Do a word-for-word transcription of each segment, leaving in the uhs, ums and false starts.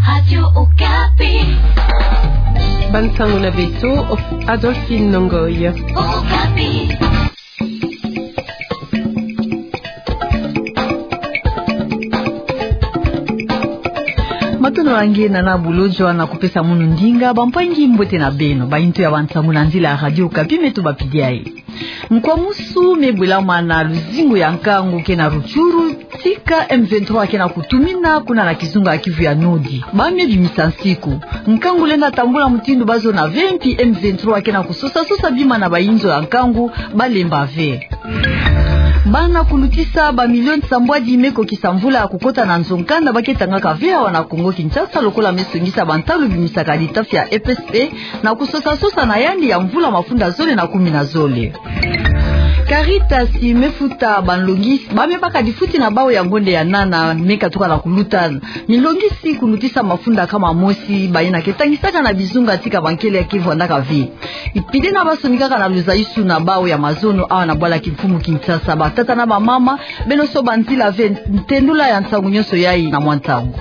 Radio Okapi. Bansango na beto, Adolphine Ngoy. Okapi. Matondo na nge, Nana Bulodjwa, na kupesa munu ndinga. Bampangi, mbote na beno. Bayindu ya bansango na nzila ya Radio Okapi me tubapidi yayi. Nkwamusu me bwelama na luzingu ya nkangu ke na Rutshuru, tika M vingt-trois ke na kutumina kuna na kizunga ya Kivu ya Nord. Ba me bimisa nsiku, nkangu lenda tambula mutindu bazona ve, mpi M vingt-trois ke na kusosa-sosa bima na bayinzo ya nkangu, balemba ve. Bana kulutisa bamilioni sambwadi me kokisa mvula ya kukota na nzo nkanda ba ke tangaka ve awa na Kongo-Kinshasa, lokola me songisa bantalu bimisaka litafi ya E P S P na kusosa-sosa na yandi ya mvula mafunda zole na kumi na zole. Caritas me futa banlongisi ba me baka difuti na bawu ya ngonde ya nana me katuka na kuluta. Minlongisi kulutisa mafunda kama mosi, bayina ke tangisaka na bizunga tika bankele ke vwandaka ve. Ipide na basonikaka na luzaisu na bawu ya mazono awa na bwala kimfumu Kinshasa, batata na bamama, beno soba nzila ve. Ntendula ya nsangu nyonso yayi na mwa ntangu.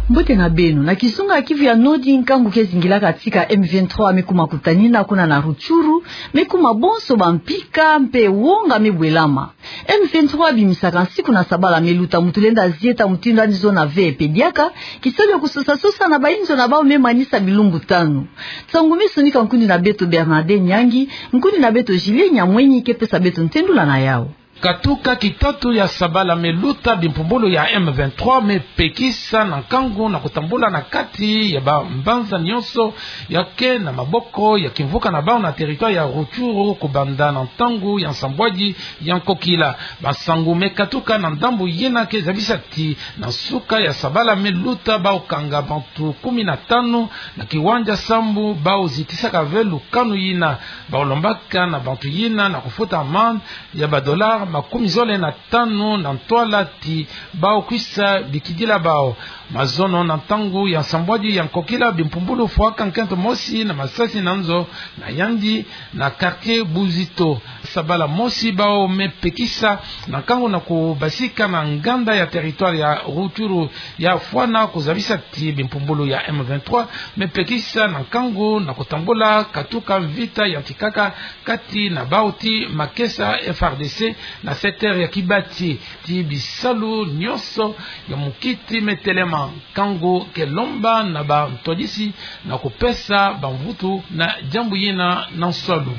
Mbote na beno. Na kizunga ya Kivu ya Nord, nkangu ke zingilaka tika M vingt-trois me kuma kutanina kuna na Rutshuru, me kuma bonso bampika mpe wonga me bwelama. M vingt-trois bimisaka nsiku na sabala me luta, mutu lenda zieta mutindu yandi zona ve. Mpe diaka, kisalu ya kusosa-sosa na bayinzo na bawu me manisa bilumbu tanu. Nsangu me sonika nkundi na beto Bernadette Nyangi, nkundi na beto Julie Nyamwenyi ke pesa beto ntendula na yawu. Katuka kitatu ya sabala me luta, bimpumbulu ya M vingt-trois me pekisa na nkangu na kutambula na kati ya bambanza nyonso ya ke na maboko ya kimvuka na bawu na territoire ya Rutshuru, kubanda na ntangu ya nsambwadi ya nkokila. Bansangu me katuka na ndambu yina ke zabisa ti na nsuka ya sabala me luta, bawu kanga bantu kumi na tanu na kiwanja sambu bawu zitisaka ve lukanu yina. Bawu lombaka na bantu yina na kufuta amende ya ba dollars makumi zole na tanu na ntwala ti bawu kwisa bikidila bawu. Mazono na ntangu ya nsambwadi ya nkokila, bimpumbulu fwaka nkento mosi na masasi na nzo na yandi na quartier Buzito. Sabala mosi bawu me pekisa na nkangu na kubasika na nganda ya territoire ya Rutshuru, ya fwana kuzabisa ti bimpumbulu ya M vingt-trois me pekisa na nkangu na kutambula katuka mvita yantikaka kati na bawu ti makesa F R D C na secteur ya Kibati. Ti bisalu nyonso ya mukiti me telema, nkangu ke lomba na bantwadisi na kupesa bamvutu na diambu yina na nsalu.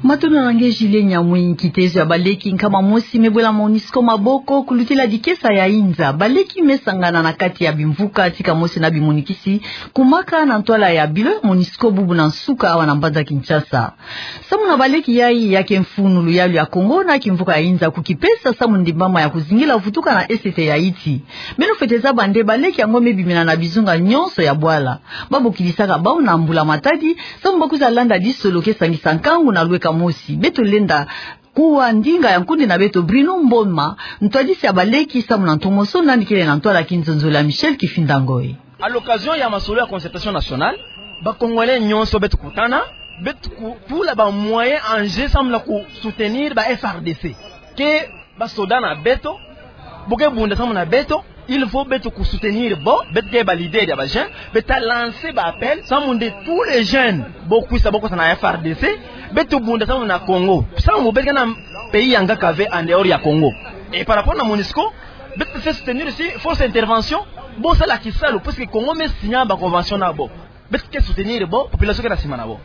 Matondo na nge Julie Nyamwenyi. Kitezo ya baleki nkama mosi me bwela MONUSCO maboko kulutila dikesa ya inza. Baleki me sangana na kati ya bimvuka tika mosi na bimunikisi kumaka na ntwala ya bilo ya MONUSCO bubu na nsuka awa na mbanza Kinshasa. Samu na baleki yayi, ya ke mfunu luyalu ya Kongo na kimvuka ya inza kukipesa samu ndimbama ya kuzingila vutuka na esete ya Haïti. Beno fwete zaba nde baleki yango me bimina na bizunga nyonso ya bwala. Ba bokidisaka bawu na mbula-matadi samu ba kwiza landa disolo ke sangisa nkangu na lweka mosi. Beto lenda kuwa ndinga ya nkundi na beto Bruno Mboma, ntwadisi ya baleki samu na ntomoso nani kele na ntwala kinzonzolo ya Michel Kifinda Ngoy. À l'occasion ya masolo ya concertation nationale, ba Congolais nyonso beto kutana, beto kutula ba moyens en jeu samu na ku soutenir ba F R D C. Ke ba soda na beto, bo ke bunda samu na beto, il faut beto ku soutenir bo. Beto ke ba leader ya ba jeunes, beto ta lancer ba appel samu nde tous les jeunes bo kwisa, bo kwisa na F R D C, beto bunda samu na Congo. Samu beto ke na pays ya nkaka ve en dehors ya Congo. Et par rapport na MONUSCO, beto ke soutenir si force intervention, bo sala kisalu, parce que Congo me signer ba convention na bo. Beto ke soutenir bo, population ke na sima na bo.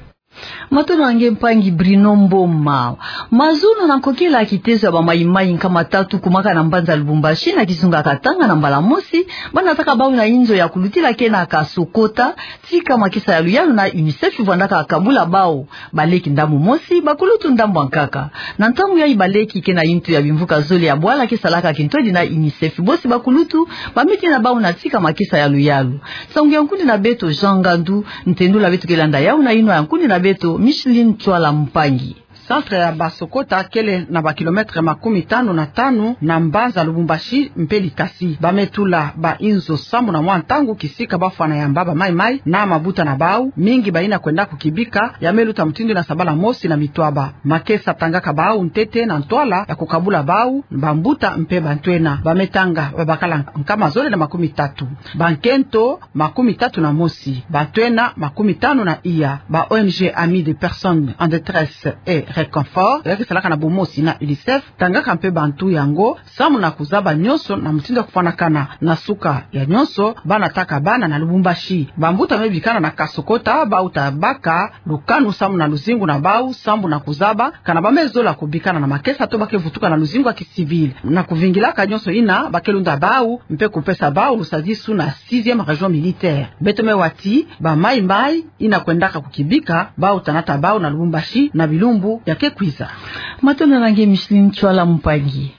Matondo na nge mpangi Bruno Mboma. Mazono na nkokila ya kitezo ya ba maïmaï nkama tatu kumaka na mbanza Lubumbashi na kizunga Katanga na mbala mosi, ba nataka bawu na inzo ya kulutila ke na Kasokota, tika makesa ya luyalu na UNICEF vwandaka kabula bawu. Baleki ndambu mosi, bakulutu ndambu ya nkaka. Na ntangu yayi baleki ke na yintu ya bimvuka zole ya bwala ke salaka kintwadi na UNICEF. Bosi bakulutu, ba me tina bawu na tika makesa ya luyalu. Nsangu ya nkundi na beto Jean Ngandu, ntendula beto ke landa yawu na yinwa ya nkundi na beto Micheline Tswala Mpangi. Centre ya Basokota kele na ba kilomètre makumi tanu na tanu na mbanza Lubumbashi mpe Likasi. Ba me tula ba inzo sambu na mwa ntangu kisika ba fwana yamba ba mayi-mayi na mabuta na bau. Mingi bayina kwenda kukibika ya me luta mutindu ina sabala mosi na mitwaba. Makesa tangaka bau ntete na ntwala ya kukabula bau, bambuta mpe bantwenia. Ba me tanga babakala nkama zole na makumi tatu. Bankento makumi tatu na mosi, bantwenia makumi tanu na iya. Ba O N G Amis des personnes en détresse et réconfort, ya ke salaka na bomosi na UNICEF, tangaka mpe bantu yango sambu na kuzaba nyonso na mutindu ya kufwanakana. Na suka ya nyonso, ba nataka bana na Lubumbashi. Bambuta me bikana na Kasokota, bau ta baka lukanu sambu na luzingu na bau, sambu na kuzaba kana ba me zola kubikana na makesa to ba ke vutuka na luzingu ya ki civil. Na kuvingilaka nyonso ina, ba ke lunda bau mpe kupesa bau lusadisu na sixième région militaire. Beto me wa ti ba mayi-mayi ina kwendaka kukibika, bau ta nata bau na Lubumbashi na bilumbu ya ke kwiza. Matondo na nge Micheline Tswala Mpangi.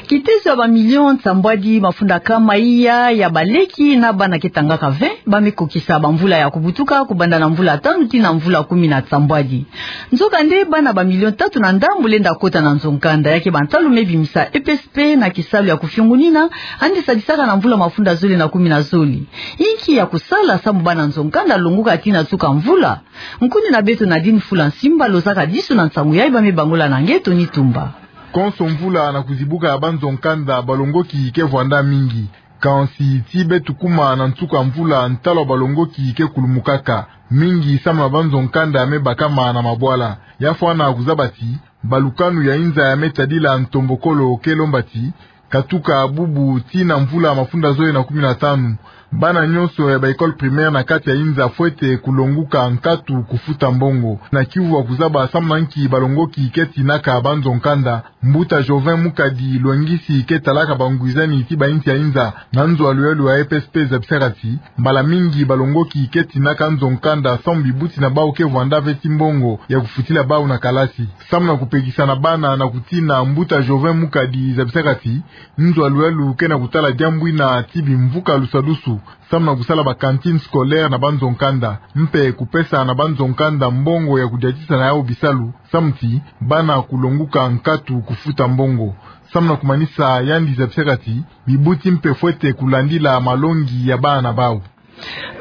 Kitezo ya ba millions nsambwadi mafunda kama iya ya baleki na bana ke tangaka vingt, ba me kokisa bamvula ya kubutuka, kubanda na mvula tanu tii na mvula kumi na nsambwadi. Nzokande bana ba millions tatu na ndambu lenda kota na nzo-nkanda, ya ke bantalu me bimisa E P S P na kisalu ya kufiongonina, yandi sadisaka na mvula mafunda zole na kumi na zole. Inki ya kusala sambu bana nzo-nkanda longuka tii na suka mvula? Nkundi na beto Nadine Fula Nsimba lozaka disu na nsangu yayi, ba me bangula na nge Tony Tumba. Konso mvula na kuzibuka ya banzo-nkanda, balongoki ke vwanda mingi. Kansi tii beto kuma na nsuka mvula, ntalu ya balongoki ke kulumukaka. Mingi samu na banzo-nkanda ya me bakama na mabwala. Ya fwana kuzaba ti balukanu ya inza ya me tadila ntombokolo ke lomba ti katuka bubu tii na mvula mafunda zole na kumi na tanu, bana nyonso ya ba écoles primaires na kati ya inza fwete kulonguka nkatu kufuta mbongo. Na kiuvu ya kuzaba samu na nki balongoki ke tinaka banzo-nkanda, mbuta Jovin Mukadi, lwengisi ke talaka bangwizani tii ba insi ya inza na nzo ya luyaluyala E P S P, zabisaka ti mbala mingi balongoki ke tinaka nzo-nkanda samu bibuti na bau ke vwanda ve tii mbongo ya kufutila bau na kalasi. Samu na kupekisa na bana na kutina, mbuta Jovin Mukadi zabisaka ti nzo ya luyaluyala ke na kutala diambu ina tii bimvuka lusadusu samu na kusala ba cantines scolaires na banzo-nkanda, mpe kupesa na banzo-nkanda mbongo ya kudiatisa na yau bisalu, samu ti bana kulonguka nkatu kufuta mbongo. Samu na kumanisa, yandi zabisaka ti bibuti mpe fwete kulandila malongi ya bana bau.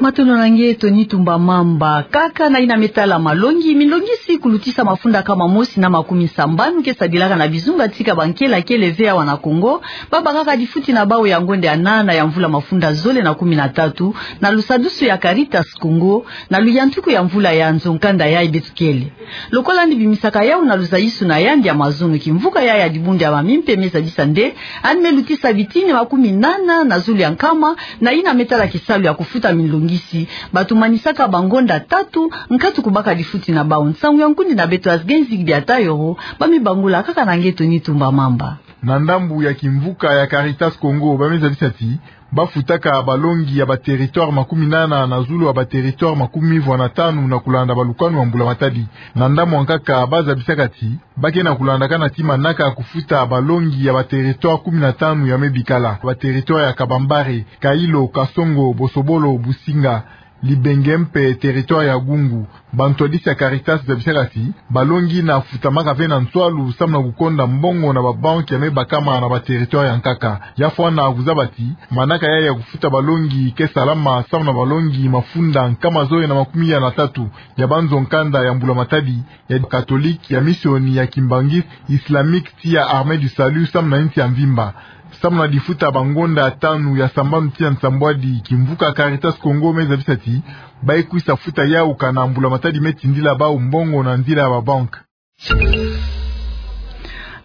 Matondo na nge Tony Tumba Mamba. Kaka na ina me tala malongi, milongisi kulutisa mafunda kama mosi na makumi sambanu ke sadilaka na bizunga tika bankela kele ve awa na Congo, babakaka difuti na bau ya ngonda ya nana ya mvula mafunda zole na kumi na tatu, na lusadusu ya Caritas Congo, na luyantiku ya mvula ya nzo-nkanda yayi beto kele. Lokola yandi bimisaka yau na luzayisu na yandi ya mazono, kimvuka yayi ya dibundu ya mamie mpe me zadisa nde yandi me lutisa bitini makumi nana na zulu ya nkama na ina me tala kisalu ya kufuta milongisi. Bato manisaka bangonda tatu nkatu kubaka difuti na bau. Nsangu ya nkundi na beto Azgenzi Biatayoro, ba me bangula kaka na nge Tony Tumba Mamba. Na ndambu ya kimvuka ya Caritas Congo, ba me zabisa ti bafutaka balongi ya ba territoires makumi nana na zulu ya ba territoires makumi vwa na tanu na kulanda balukanu ya mbula matadi. Na ndambu ya nkaka, ba zabisaka ti ba ke na kulandakana ti manaka ya kufuta balongi ya ba territoires kumi na tanu ya me bikala, ba territoires ya Kabambare, Kailo, Kasongo, Bosobolo, Businga, Libenge mpe territoire ya Gungu. Bantwadisi ya Caritas zabisaka ti balongi ina futamaka ve na nswalu samu na kukonda mbongo na babanki ya me bakama na ba territoire ya nkaka. Ya fwana kuzaba ti manaka yayi ya kufuta balongi ke salama samu na balongi mafunda nkama zole na makumi ya na tatu ya banzo-nkanda ya mbula matadi, ya Catholique, ya Mission, ya Kimbanguiste, Islamique, tii ya Armée du Salut samu na insi ya mvimba. Samu na difuta bangonda tanu ya sambanu tii ya nsambwadi, kimvuka Caritas Congo me zabisa ti ba ke kwisa futa yau kana mbula matadi me tindila bau mbongo na nzila ya babanki.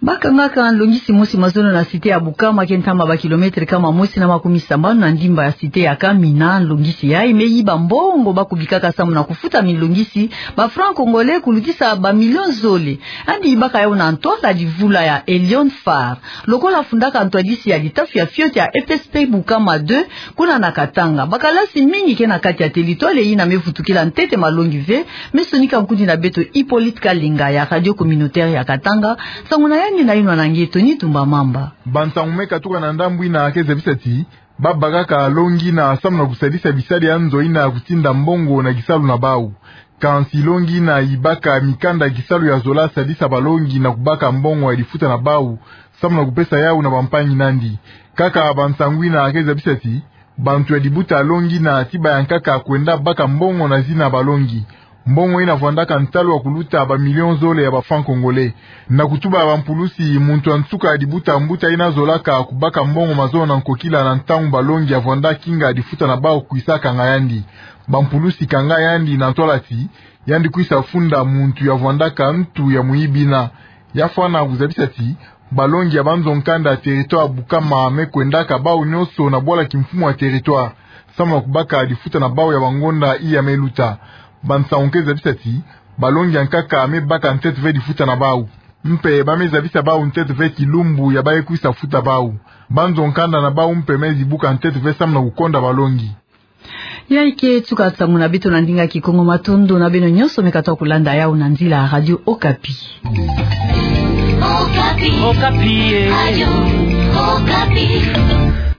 Bakangaka nlongisi mosi mazono na cité ya Bukama, ke ntama ba kilomètre kama mosi na makumi sambanu na ndimba ya cité ya Kamina. Nlongisi yayi me yiba mbongo ba kubikaka samu na kufuta minlongisi, ba francs congolais, kulutisa ba millions zole. Yandi yibaka yau na ntwala divula ya Elion Far. Lokola afundaka ntwadisi ya litafi ya fioti ya E P S P Bukama deux, kuna na Katanga, bakalasi mingi ke na kati ya territoire ina me vutukila ntete malongi ve, me sonika nkundi na beto Hippolyte Kalinga ya Radio Communautaire ya Katanga, nsangu na yandi na yinwa na nge Tony Tumba Mamba. Bansangu me katuka na ndambu ina ke zabisa ti ba bakaka longi ina samu na kusalisa bisadi ya nzo ina kutinda mbongo na kisalu na bau. Kansi longi ina ibaka mikanda kisalu ya zola sadisa balongi na kubaka mbongo ya difuta na bau, samu na kupesa yau na bampangi nandi. Kaka bansangu ina ke zabisa ti bantu ya dibuta longi ina ti baya nkaka kwenda baka mbongo na zina balongi. Mbongo ina vwandaka ntalu ya kuluta ba millions zole ya ba francs congolais. Na kutuba bampulusi, muntu ya nsuka ya dibuta mbuta ina zolaka kubaka mbongo mazono na nkokila na ntangu balongi ya vwanda kinga difuta na bau kwisa kanga yandi. Bampulusi kanga yandi na ntwala ti yandi kwisa funda muntu ya vwandaka ntu ya muyibi ina. Ya fwana kuzabisa ti balongi ya banzo nkanda ya territoire Bukama me kwendaka bau nyonso na bwala kimfumu ya territoire, samu na kubaka difuta na bau ya bangonda iya me luta. Bansangu ke zabisa ti balongi ya nkaka me baka ntete ve difuta na bau. Mpe ba me zabisa bau ntete ve kilumbu ya baye kwisa futa bau. Banzo nkanda na bau mpe me zibuka ntete ve samu na kukonda balongi. Ya ike tuka nsangu na beto na ndinga Kikongo. Matondo na beno nyonso me katwa kulanda yau na nzila Radio Okapi. Okapi. Okapi, eh. Radio Okapi.